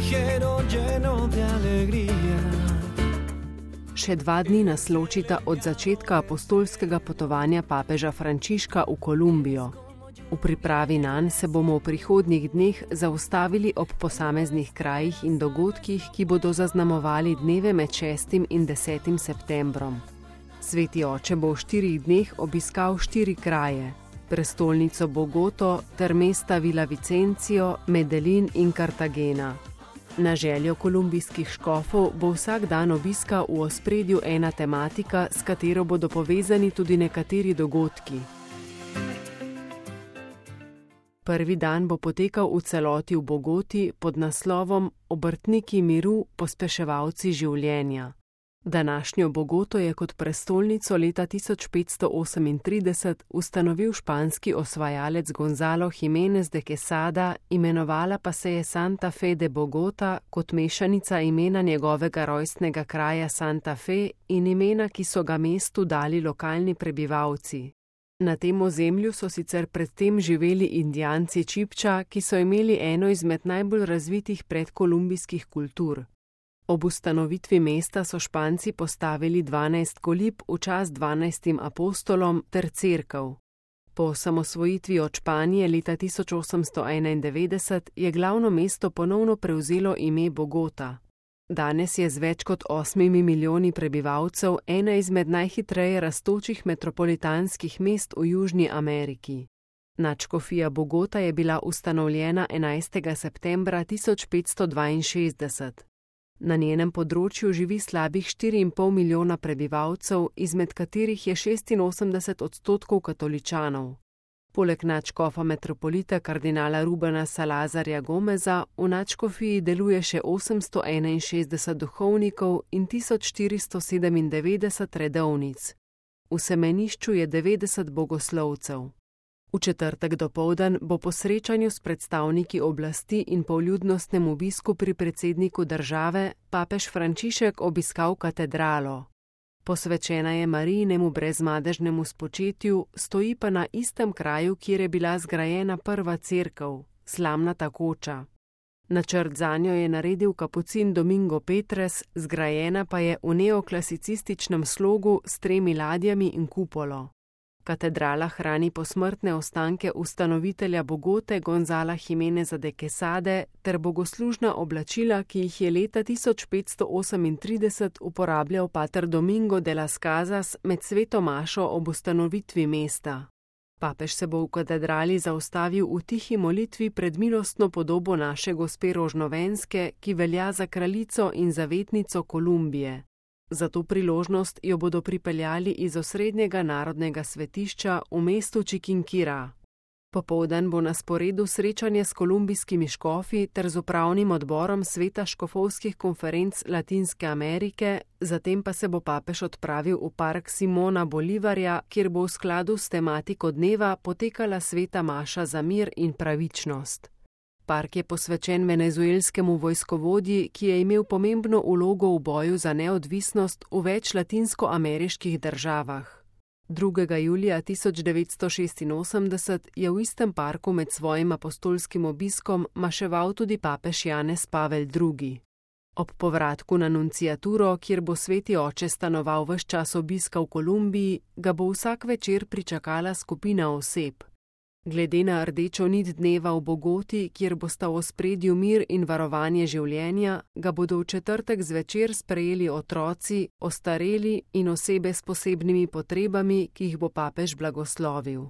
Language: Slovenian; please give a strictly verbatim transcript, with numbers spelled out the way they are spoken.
viajero lleno de alegría. Še dva dni nas ločita od začetka apostolskega potovanja papeža Frančiška v Kolumbijo. V pripravi nanj se bomo v prihodnjih dneh zaustavili ob posameznih krajih in dogodkih, ki bodo zaznamovali dneve med šestim in desetim septembrom. Sveti oče bo v štirih dneh obiskal štiri kraje, prestolnico Bogoto ter mesta Villavicencio, Medellin in Cartagena. Na željo kolumbijskih škofov bo vsak dan obiska v ospredju ena tematika, s katero bodo povezani tudi nekateri dogodki. Prvi dan bo potekal v celoti v Bogoti pod naslovom Obrtniki miru, pospeševalci življenja. Današnjo Bogoto je kot prestolnico leta tisoč petsto osemintrideset ustanovil španski osvajalec Gonzalo Jiménez de Quesada, imenovala pa se je Santa Fe de Bogota kot mešanica imena njegovega rojstnega kraja Santa Fe in imena, ki so ga mestu dali lokalni prebivalci. Na tem ozemlju so sicer predtem živeli Indijanci Čipča, ki so imeli eno izmed najbolj razvitih predkolumbijskih kultur. Ob ustanovitvi mesta so Španci postavili dvanajst kolib v čast dvanajstim apostolom ter cerkev. Po osamosvojitvi od Španije leta tisoč osemsto enaindevetdeset je glavno mesto ponovno prevzelo ime Bogota. Danes je z več kot osmimi milijoni prebivalcev ena izmed najhitreje rastočih metropolitanskih mest v Južni Ameriki. Nadškofija Bogota je bila ustanovljena enajstega septembra tisoč petsto dvainšestdeset. Na njenem področju živi slabih štiri in pol milijona prebivalcev, izmed katerih je šestinosemdeset odstotkov katoličanov. Poleg nadškofa metropolita kardinala Rubena Salazarja Gomeza v nadškofiji deluje še osemsto enainšestdeset duhovnikov in tisoč štiristo sedemindevetdeset redovnic. V semenišču je devetdeset bogoslovcev. V četrtek dopoldan bo po srečanju s predstavniki oblasti in poljudnostnem obisku pri predsedniku države papež Frančišek obiskal katedralo. Posvečena je Marijinemu brezmadežnemu spočetju, stoji pa na istem kraju, kjer je bila zgrajena prva cerkev, slamnata koča. Načrt zanjo je naredil kapucin Domingo Petres, zgrajena pa je v neoklasicističnem slogu s tremi ladjami in kupolo. Katedrala hrani posmrtne ostanke ustanovitelja Bogote Gonzala Jiméneza de Quesade ter bogoslužna oblačila, ki jih je leta tisoč petsto osemintrideset uporabljal pater Domingo de las Casas med sveto mašo ob ustanovitvi mesta. Papež se bo v katedrali zaustavil v tihi molitvi pred milostno podobo naše gospe Rožnovenske, ki velja za kraljico in zavetnico Kolumbije. Za to priložnost jo bodo pripeljali iz osrednjega narodnega svetišča v mestu Chiquinquirá. Popoldan bo na sporedu srečanje s kolumbijskimi škofi ter z upravnim odborom Sveta škofovskih konferenc Latinske Amerike, zatem pa se bo papež odpravil v park Simona Bolivarja, kjer bo v skladu s tematiko dneva potekala sveta maša za mir in pravičnost. Park je posvečen venezuelskemu vojskovodji, ki je imel pomembno vlogo v boju za neodvisnost v več latinskoameriških državah. drugega julija tisoč devetsto šestinosemdeset je v istem parku med svojim apostolskim obiskom maševal tudi papež Janez Pavel drugi. Ob povratku na nunciaturo, kjer bo sveti oče stanoval ves čas obiska v Kolumbiji, ga bo vsak večer pričakala skupina oseb. Glede na rdečo nit dneva v Bogoti, kjer bosta v ospredju mir in varovanje življenja, ga bodo v četrtek zvečer sprejeli otroci, ostareli in osebe s posebnimi potrebami, ki jih bo papež blagoslovil.